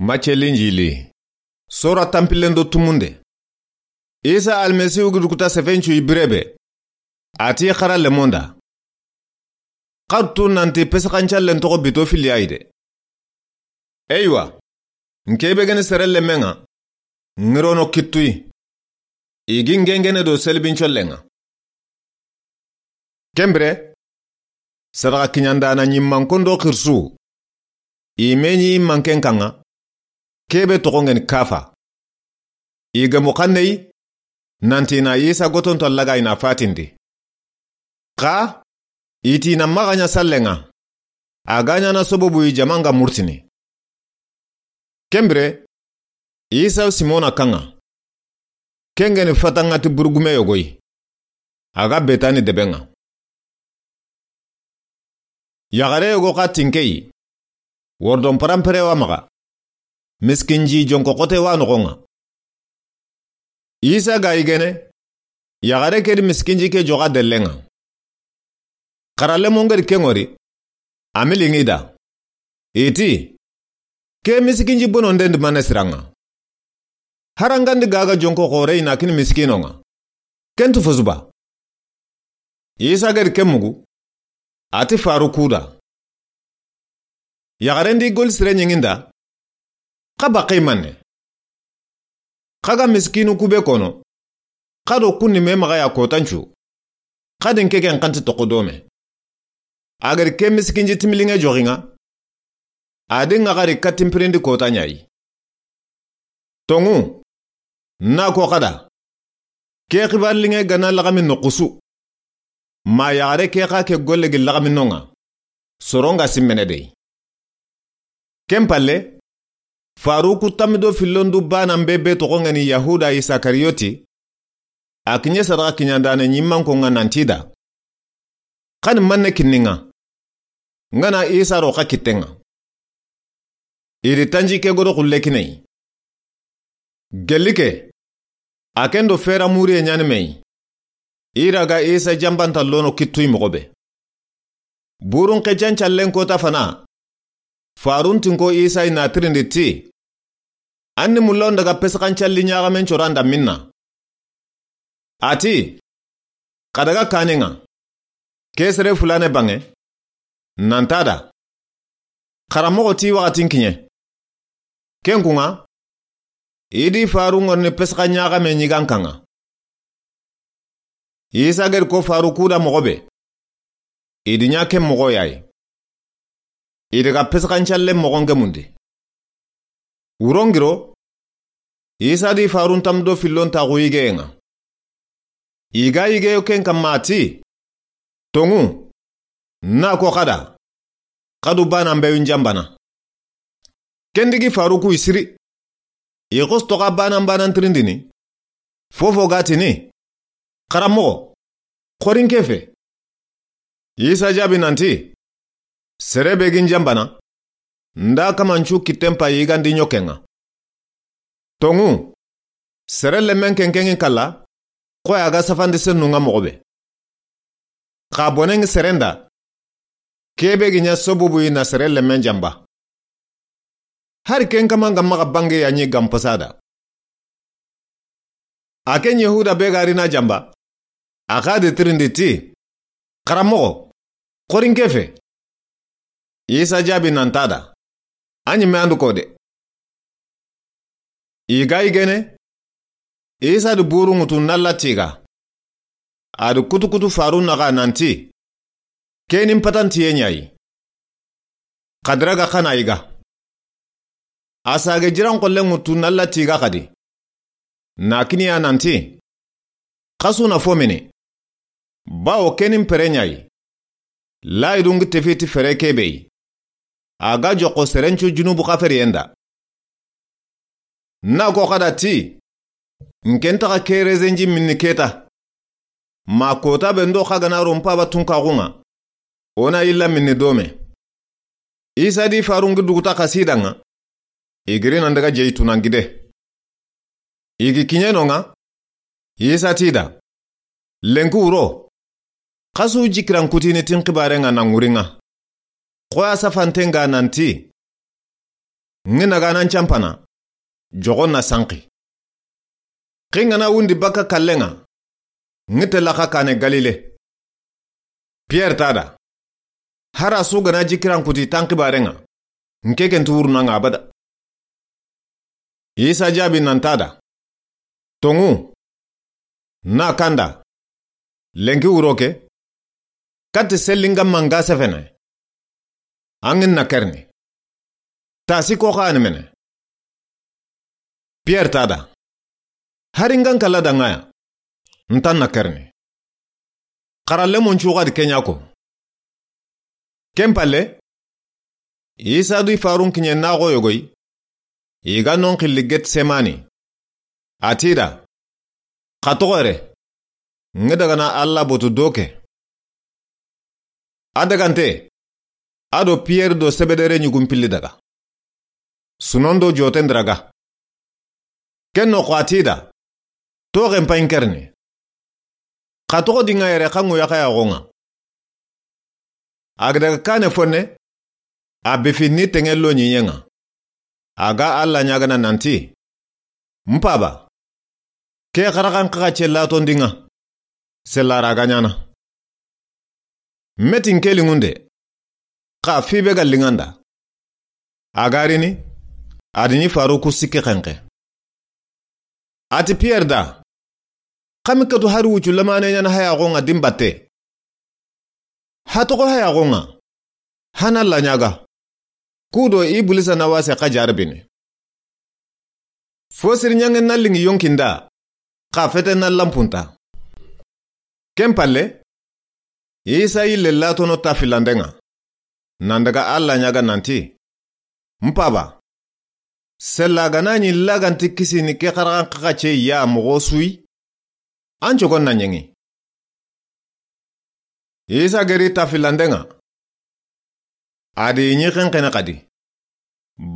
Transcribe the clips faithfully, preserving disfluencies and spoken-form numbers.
Macce Linjili. Sora tanpillen do tumunde. Isa Almasihu gi dukuta sefencu i birebe. A ti xara lemonda. Xartu nanti pesixancallen toxo bito fili a yi de. Eywa, n ke be geni sere lemenŋa, ŋirono kittuyi. I gi ŋeŋene do selibincollenŋa. Ken bire, sadaxa kiɲandana ɲimmankondo xirisu, i me ɲi manken kanŋa, ke be toxo ŋeni Kafa. I gemu xanneyi, nanti na Isa gotonto laga i na fatindi. Xa, i ti na maxa ɲa sallenŋa, a ga ɲana sobobu i jamanŋa murtini. Ken bire, Isa Simona kanŋa. Ken geni fatanŋa ti burugume yogoyi. A ga Betani debenŋa. Yaxare yogo xa tinkeyi. Wordon parampere wa maxa. Miskinji jonko xote wa noxonŋa. Isa ga yigene, yaxare ke di miskinji ke joxa dellenŋa. Xara lemon ŋeri ken ŋori, a mi liŋi da. I ti, ke miskinji bononden di mane siranŋa. Harangandi gaga jonko xore i na kini miskinonŋa. Ken tu fosuba. Isa geri ken mugu, a ti faru kuda. Yaxarendi goli sire ɲiŋinda, xa baxe manne. Xa ga miskinu kube kono, xa do kunni me maxa ya kotancu, xa din ke ken xanti toxo dome. A geri ke miskinji timiliŋe joxinŋa, a di ŋa xari katin pirindi kota ɲayi. Toŋu, na ko xada. Ke xibar liŋe gana laxami noxusu. Ma yaxare ke xa ke golle gi laxami nonŋa. Soronŋa simmene dey. Ken palle, faruku tammido fillondu banan be be toxo ŋeni Yahuda Isakariyoti, a kiɲe sadaxa kiɲandane ɲimmankonŋa nanti da. Xani manne kinninŋa. Ŋana Isa ro xa kittenŋa. I di tanji ke godo xulle kineyi. Gelli ke, a ken do fera muriye ɲani meyi. I ra ga Isa jambanta lono kittuyi moxo be. Burun xecancallen kota fana. Farun tinko Isa i na tirindi ti. An ni mulla o n daga pesixancalli ɲaxamen coranda minna. A ti, xa daga kaninŋa. Ke sere fulane banŋe. Nanta da. Xaramoxo ti waxatin kiɲe. Ken kunŋa, i di faru ŋorni pesixa ɲaxame ɲigan kanŋa. Isa geri ko faru kuda moxo be. I di ɲa ken moxo yayi. I daga pesixancallen moxon gemundi. Wurongiro, Isa di farun tamdo fillon taxu yigeyenŋa. I ga yigeyo ken kamma a ti, toŋu, na ko xada, xadu banan bewin jambana. Ken digi faruku i siri. I xosto xa banan banan tirindini. Fofo ga tini, xaramoxo, xorin ke fe. Isa jaabi nanti, sere be gin jambana, nda kamancu kitten pa yigandi ɲokenŋa. Toŋu, sere lemmen kenkenŋi kalla, xoya ga safandi sennunŋa moxo be. Xa bonenŋi serenda, kebe gi ɲa sobubu i na sere lemmen jamba. Hari ken kaman ga maxa bange ya ɲi gampasada. A ken Yahuda be ga ri na jamba, a xa de tirindi ti, xaramoxo, xorin ke fe. Isa jaabi nanta da, a ɲi me andu ko de. I ga yigene, Isa di buru ŋutu nalla tiga. A di kutukutu faru naxa nanti, kenin patantiye ɲayi. Xadira ga xana yiga. A sage jiran xolle ŋutu nalla tiga xadi. Na kiniya nanti, xasu na fo mini. Bawo kenin pere ɲayi. Layi dungi tefiti fere kebeyi. A ga joxo serencu junubu xaferiyen da. Na ko xada ti, n ken taxa ke rezenji minni keta. Ma kota be ndo xa gana ro mpaba tunkaxunŋa, o na yilla minni dome. Isa di farungi duguta xasidanŋa, i giri nan daga jeyi tunangide. I gi kiɲenonŋa, Isa ti da, lenki wuro, xasu jikiran kutini tin xibarenŋa na ŋurinŋa. Xoya safantenŋa nanti, Ŋi na ga na n canpana, joxo na sanqi. Xi n ga na wundi baka kallen ŋa, ŋi tella xa kane Galile. Pierre ta da, hari su ga na jikiran kuti tan xibaren ŋa, n ke ken ti wuruna ŋa abada. Isa jaabi nan ta da, tonŋu, na kanda, lenki wuro ke, kati sellinga manga sefene. An ŋi na kerni. Tasi ko xa ni mene. Pierre ta da, hari n ga n kala da ŋa ya, n ta na kerni. Xaralle mon cuxa di kenya ko. Ken palle, Isa du i farun kiɲe na xo yogoy, i ga non xilli Getsemani. A ti da, xa toxo yere, ŋi daga na Alla botu do ke. A dagante, a do Pierre do Sebedere ɲugun pilli daga. Sunon do joten diraga. Ken no xo a ti da, toxen payin kerni. Xa toxo di ŋa yere xa ŋu yaxa yaxo ŋa. A ga daga kane fonne, a bifi ni teŋe lo ɲiɲen ŋa. A ga Alla ɲagana nanti, n Paba, ke xaraxan xaxa ce laton di ŋa, sellara ga ɲana. Metin ke liŋunde, xa fi be ga liŋanda. A ga rini, a di ɲi faru ku sikki xenxe. A ti Pierre da, xa mi katu hari wucu lamane ɲana haya xo ŋa di n batte. Ha toxo haya xo ŋa, hana la ɲaga. Kudo Iblisa na wase xa jarabini. Fo siri ɲange na liŋi yonkinda, xa fete na lampunta. Ken palle, Isa yille latono ta filanden ŋa, nan daga Alla ɲaga nanti, n Paba, sella ga na ɲi laganti kisini ke xaraxan xaxa ce ya moxo suyi, an cogon na ɲeŋi. Isa geri ta filanden ŋa, a di ɲi xenxene xadi,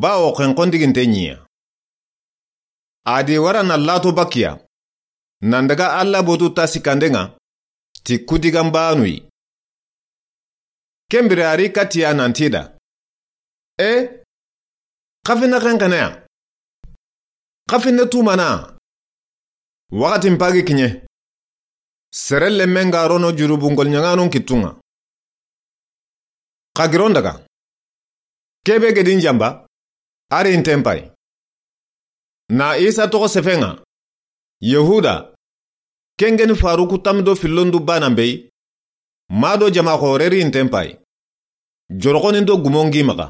bawo xenxon diginte ɲiya. A di wara na lato bakiya, nan daga Alla botu ta sikkanden ŋa, ti kudigan banuyi. Ken bire a ri katiya nanti da, e, xa finne xenxene ya, xa finne tumana. Waxatin pagi kiɲe, sere lemmen ga rono jurubungol ɲaŋanon kittu ŋa. Xa giron daga, kebe gedin jamba, a ri nten pay. Na Isa toxo sefen ŋa, Yehuda, ken geni faru ku tammi do fillondu banan beyi, ma do jama xore ri nten pay. Joroxonin do gumon gi maxa.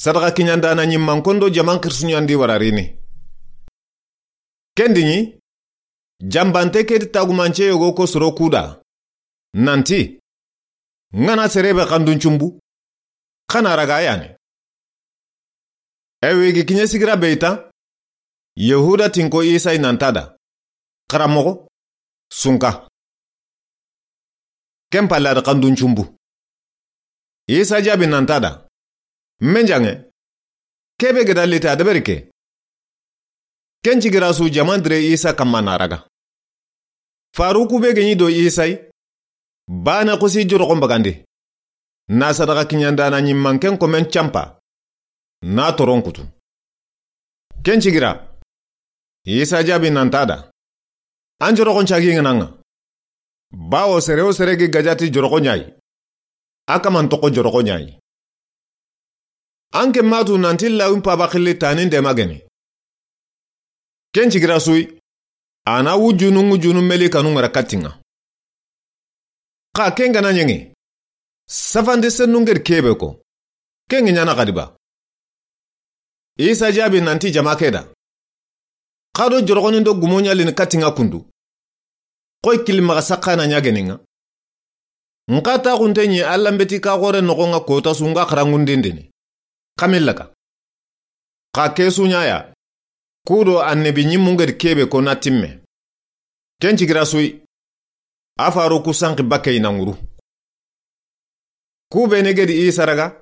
Sadaxa kiɲandana ɲimmankon do jaman xirisuɲandi wararini. Ken di ɲi, jambante ke di tagumance yogo ko soro kuda, nanti, ŋa na serebe xandun cumbu, xa na raga yane. Ewe gi kiɲe sigira beyita, Yehuda tinko Isa i nanta da, xaramoxo, sunka. Ken palle a da xandun cumbu. Isa jaabi nanta da, menjange, kebe geda liti a deberi ke. Ken cigira su jaman dire Isa kamma na raga. Faruku be geɲi do Isa yi, bane xusi joroxon bagandi. Na sadaxa kiɲandana ɲimmanken komen campa, na toron kutu. Ken cigira, Isa jaabi nanta da, an joroxon cagi ŋa na ŋa. Bawo sere wo sere gi gajati joroxo ɲayi, a kaman toxo joroxo ɲayi. An ke matu nanti lawin paba xilli tanin dema geni. Ken cigira suyi, a na wujunu ŋujunu meli kanu ŋara kattinŋa. Xa ken gana ɲeŋe, safande sennu ŋeri kebe ko, ken ŋi ɲana xadi ba. Isa jaabi nanti jama ke da, xa do joroxonin do gumo ɲalini kattinŋa kundu. Xoy kili maxa saxana ɲageninŋa. Nxa taxunte ɲi Alla mbeti ka xore noxonŋa kota su nga xarangundindini. Xamillaka. Xa ke su ɲaya, kudo annabi ɲimmu ŋeri kebe ko na timme. Ken cigira suyi, a faru ku sanxi bakkey na ŋuru. Ku bene gedi Isa raga,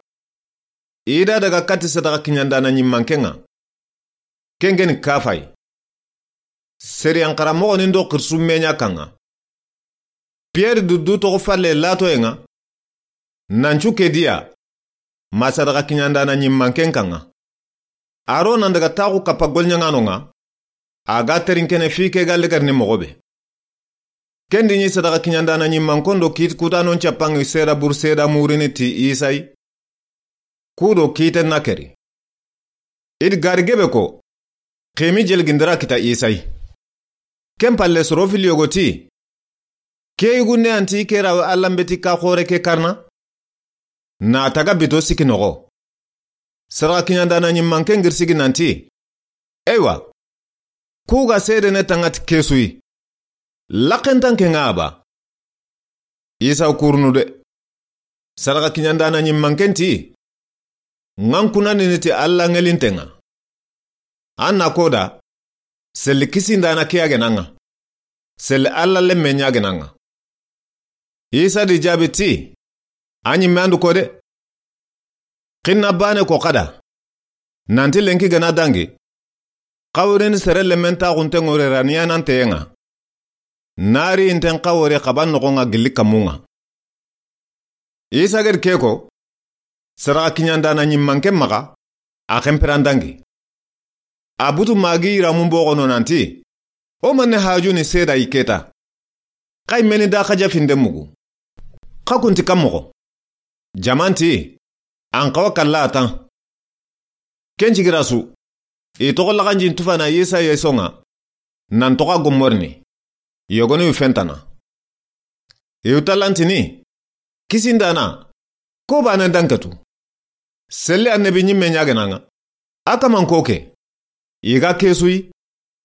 i da daga katti sadaxa kiɲandana ɲimmankenŋa. Ken geni Kafay. Seriyan xaramoxonin do xirisu meɲa kanŋa. Pierre du du toxo falle latoyenŋa. Nancu ke diya, ma sadaxa kiɲandana ɲimmanken kanŋa. A ro nan daga taxu kappa golɲaŋanon ŋa, a ga terinkene fi ke ga legerini moxo be. Ken di ɲi sadaxa kiɲandana ɲimmanken do kiiti kutanon cappaŋi seeda buru seeda murini ti Isa yi. Ku do kiiten na keri. I di gari gebe ko, xemi jeligindira kita Isa yi. Ken palle soro fili yogo ti, ke yugunde anti ke rawe Alla n beti ka xoore ke karana? Na taga bito sikki noxo. Sadaxa kiɲandana ɲimmanken giri sigi nanti, eywa, ku ga seedene taŋa ti ke su yi. Laxentanke ŋa a ba. Isa kurunu de. Sadaxa kiɲandana ɲimmanken ti, ŋa n kunanini ti Alla ŋelinten ŋa. An na ko da, selli kisindana ke ya gena ŋa. Selli Alla lemme ɲa gena ŋa. Isa di jaabi ti, a ɲimme an du ko de. Xinna baane ko xa da, nanti lenki gana dangi, xaworini sere lemmen taxunten ŋore raniyananteyen ŋa. Nari inten xawori xaban noxon ŋa gilli kammun ŋa. Isa gedi ke ko, sadaxa kiɲandana ɲimmanken maxa, a xenpiran dangi. A butu magi yiramun boxono nanti, o manne hajuni seeda yi keta. Xa i meni da xaja finde mugu. Xa kunti kan moxo. Jamanti, an xawa kalla a tan. Ken cigira su, i toxo laxanjin tufana Isa yeson ŋa, nan toxo a gommorini, yogoni yu fentana. I yu tallantini, kisindana, ko baane danketu. Selli annabi ɲimme ɲa gena ŋa. A kaman ko ke. I ga ke su yi,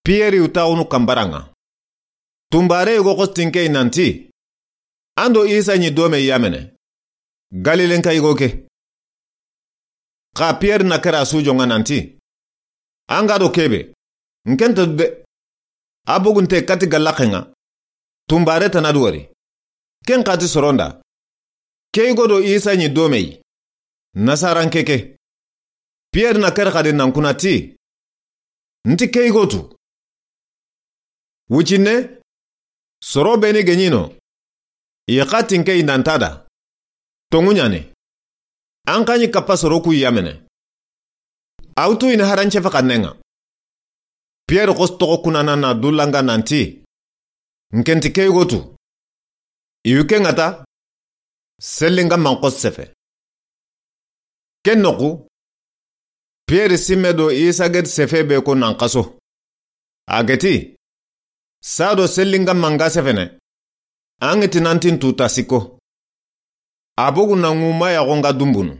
Piyeri yu taxunu kanbara ŋa. Tunbare yugo xostinke yi nanti, an do Isa ɲi dome yamene. Galilenka yugo ke. Xa Piyeri na kera su joŋa nanti, an ga do kebe, n ken ta du de. A bogunte kati gallaxen ŋa. Tunbare tana du wori. Ken xati soronda. Ke yugo do Isa ɲi dome yi. Nasaranke ke. Piyeri na kere xadi nan kuna ti, nti ke yugo tu. Wucinne, soro beni geɲino, i xatinke i nanta da. Toŋu ɲane. An xa ɲi kappa soro ku yamene. A wu tu i ni harancefe xannen ŋa. Piyeri xos toxo kunana na dulanga nanti, n ken ti ke yugo tu. I yu ke ŋa ta, sellinga man xos sefe. Ken noxu, Piyeri simme do Isa gedi sefe be ko nan xaso. A geti, sa do sellinga manga sefene, an ŋa ti nantin tuta sikko. A bogu na ŋuma yaxo ŋa dumbunu.